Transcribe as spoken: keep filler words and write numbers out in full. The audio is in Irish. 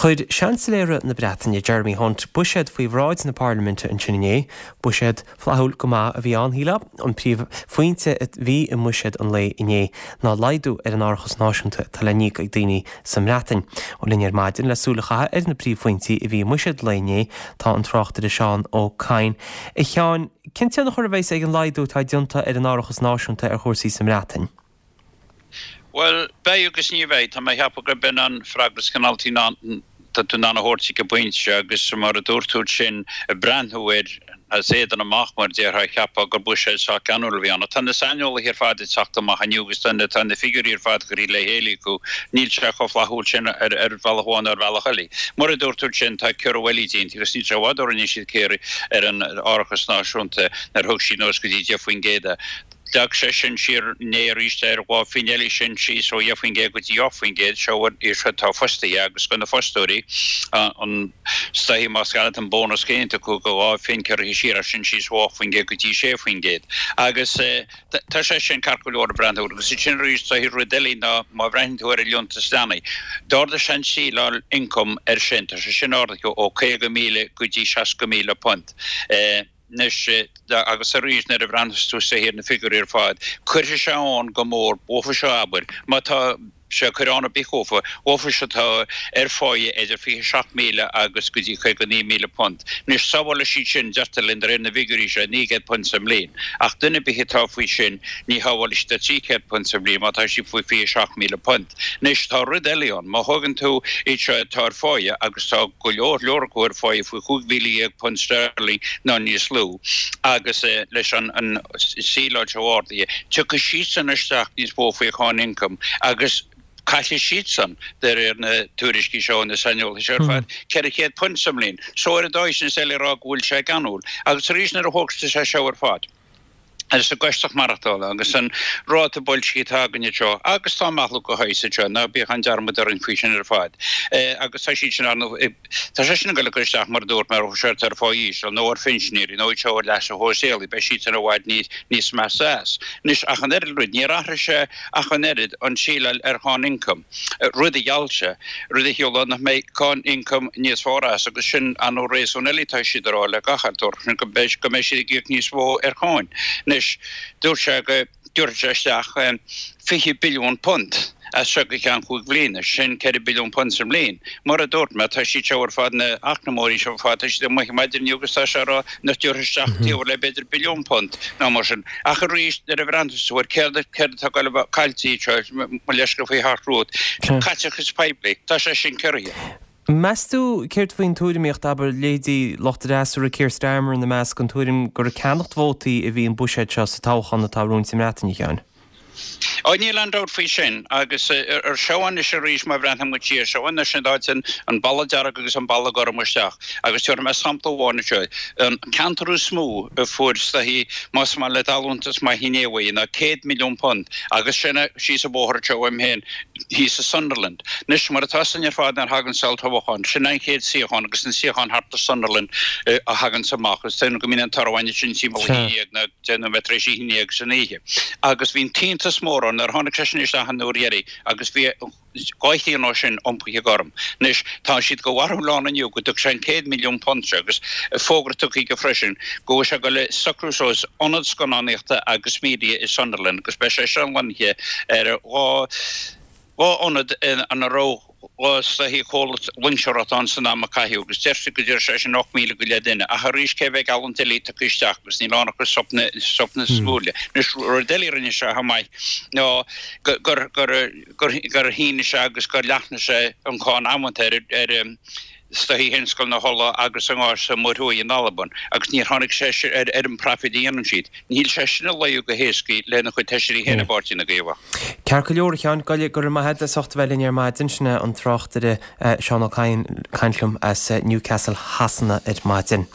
Chuir Seansailéir na Breataine Jeremy Hunt buiséad faoi bhráid na Parlaiminte ansin inné, buiséad flaithiúil go maith a bhí ann shílfeá, an príomhphointe a bhí i mbuiséad an lae inné ná laghdú ar an árachas náisiúnta atá le n-íoc ag daoine sa mBreatain. Ó linn ar maidin le súil a chaitheamh ar na príomhphointí a bhí i mbuiséad lae inné tá an tráchtaire Seán Ó Cadhain. A Sheáin, cén tionchar a bheas ag an laghdú atá déanta ar an árachas náisiúnta ar chúrsaí sa mBreatain? Bhuel, beidh agus ní bheidh. Tá mé ag ceapadh gurb in an freagra is cineáltaí ná tá tú in ann a thabhairt ag an bpointe seo agus mar a dúirt tú sin ag breathnú air as éadan amach mar déarfá cheapfá gur buiséad sách geanúil a bhí ann. Ach tá na saineolaithe ar fad ag teacht amach inniu agus tá na tá na figiúirí ar fad curtha le chéile acu. Níl sé chomh flaithiúil sin ar ar bhealach amháin nó ar bhealach eile. Mar a dúirt tú sin tá ciorrú eile déanta agus níl sé i bhfad ó rinne siad ciorrú ar an árachas náisiúnta nuair a thug siad anuas go dtí deich faoin gcéad é. D'fhág sé sin siar inné arís ar dhá phingin eile sin síos ó dheich faoin gcéad go dtí ocht faoin gcéad. Seo iad seo atá fostaithe agus do na fostóirí an is dóichí más geall an bónas céanna acu go dhá phingin curtha siar as sin síos ó ocht faoin gcéad go dtí sé faoin gcéad. Agus tá sé sin ceart go leor ag breathnú agus sin arís is dóichí rud eile ná má bhreathnaíonn tú ar an liúntas leanaí. D'ardaigh sé an tsíleáil ioncaim air sin, tá sé sin ardaithe ó caoga míle go dtí seasca míle punt. Anois, agus arís nuair a bhreathnas tú is dóichí ar na figiúirí ar fad, cuirfidh sé ann go mór, dhófa seo abair, má tá sé ag cur ann ar bith dhófa, dhófa seo atá ar pháighe idir fiche seacht míle agus go dtí caoga naoi míle punt. Anois, sábhálfaidh siad sin, deirtear linn, de réir na bhfigiúirí seo, naoi gcéad punt sa mbliain. Ach duine ar bith atá faoi sin, ní shábhálfaidh siad ach trí chéad punt sa bhliain má tá siad faoi fiche seacht míle punt. Anois, tá rud eile ann, má thógann tú iad seo atá ar pháighe, agus tá go leor leor acu ar pháighe faoi chúig mhíle dhéag punt sterling nó níos lú, agus leis an tsíleáil seo ardaithe, tiocfaidh siadsan isteach níos mó faoi cháin ioncaim agus caillfidh siadsan, de réir na tuairiscí seo na saineolaithe seo ar fad, ceithre chéad punt sa mbliain. So ar an dóigh sin is doiligh a rá go bhfuil sé geanúil. Agus arís nuair a thógtar sé seo ar fad, agus an gcostas maireachtála agus an ráta boilscithe atá againn anseo agus tá meathlú de shaghas anseo, ná bíodh aon dearmad orainn faoi sin ar fad. Agus tá siad sin ar ndóigh, tá sé sin ag dul ag cur isteach mar a dúirt mé ar siad ar phá íseal nó ar phinsinéirí nó iad seo ar leasa shóisialaigh, beidh siad sin i bhfad níos níos measa as. Anois ach an oiread rud, níor athraigh sé ach an oiread an tsíleáil ar cháin ioncaim, rud a gheall sé, rud a chiallódh nach mbeidh cáin ioncaim níos fearr as agus sin ar ndóigh réasún eile atá siad a rá le gach eile sin go mbeidh go mbeidh siad ag íoc níos mó ar cháin. Anois, dúirt sé go dtabharfadh sé isteach fiche billiún punt as seo go ceann cúig bhliana, sin ceithre billiún punt sa mbliain. Mar a dúirt mé, tá siad seo ar fad, na eacnamóirí seo ar fad, tá siad amuigh maidin inniu agus tá sé á rá nach dtabharfaidh isteach taobh le b'fhéidir billiún punt nó mar sin. Ach arís, nuair a bhreathnaíonn tú air, céard céard atá ag dul a bheith caillte anseo, mo leithscéal faoi theacht romhat, caiteachas poiblí, tá sé sin ciorraithe. Meas tú céard faoin tuairimíocht, abair, leithéidí lucht an fhreasúra, Keir Starmer ina measc, an tuairim gur ag ceannacht vótaí a bhí an buiséad seo sa toghchán atá romhainn sa mBreatain, a Sheáin? Ó, níl aon dabht faoi sin. Agus ar seo anois arís má bhreathnaíonn muid siar, seo anois an áit an balla dearg agus an balla gorm isteach. Agus tabharfaidh mé sampla amháin anseo. An ceantar is mó a fuair is dóichí, más maith leat allúntas maith inné uaidh, ná céad milliún punt. Agus sin síos an bóthar anseo uaim féin, thíos i Sunderland. Anois, mar atá 'fhios againn ar fad nuair a thagann olltoghchán, sin an chéad suíochán agus an suíochán thart i Sunderland a thaganns amach. Is dóigh go mbíonn an toradh againn ansin timpeall a haon déag nó deich nóiméad tar éis a haon déag san oíche. Agus bhí an t-iontas mór ann nuair a tháinig sé sin isteach an uair dheiridh agus bhí dhá thrian ó sin iompaithe gorm. Anois, tá siad de bharúil ann inniu go dtug sé an céad milliún punt seo agus fógra tugtha aige freisin go bhfuil sé ag dul a socrú suas ionad scannánaíochta agus media i Sunderland agus beidh sé seo lonnaithe ar dhá dhá ionad ina raibh dhá is dóichí comhlacht loingseoireachta ann san am a caitheadh agus deirtear go dtabharfaidh sé sin ocht míle go leith duine ach arís cé mhéad geallúint eile tugtha isteach agus níl ann ach sop na sop na súile. Anois rud eile a rinne sé chomh maith ná gur gur gur gur shínigh sé agus gur leathnaigh sé an cáin amanta ar ar is dóichí thionscal na hola agus an gháis sa Mhuir Thuaidh in Albain agus níor tháinig sé ar ar an bpraifid a dhéanann siad. Níl sé sin ag luí go héasca lena chuid feisirí féin i bPáirtí na gCaomhach. Ceart go leor, a Sheáin, go raibh maith agat as ucht a bheith linn ar maidin. Sin é an tráchtaire Seán Ó Cadhain ag caint liom as Newcastle Shasana ar maidin.